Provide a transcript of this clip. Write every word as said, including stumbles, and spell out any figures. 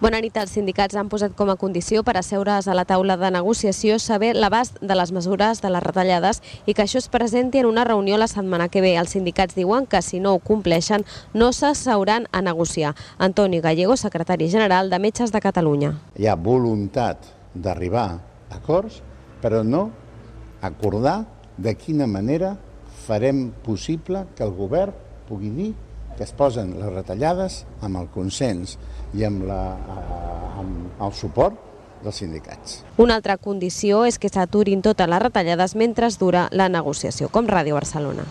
Bona nit. Els sindicats han posat com a condició per asseure's a la taula de negociació saber l'abast de les mesures de les retallades i que això es presenti en una reunió la setmana que ve. Els sindicats diuen que si no ho compleixen no s'asseuran a negociar. Antoni Gallego, secretari general de Metges de Catalunya. Hi ha voluntat d'arribar a acords, però no acordar de quina manera farem possible que el govern pugui dir que es posen les retallades amb el consens i amb, la, amb el suport dels sindicats. Una altra condició és que s'aturin totes les retallades mentre dura la negociació, com Ràdio Barcelona.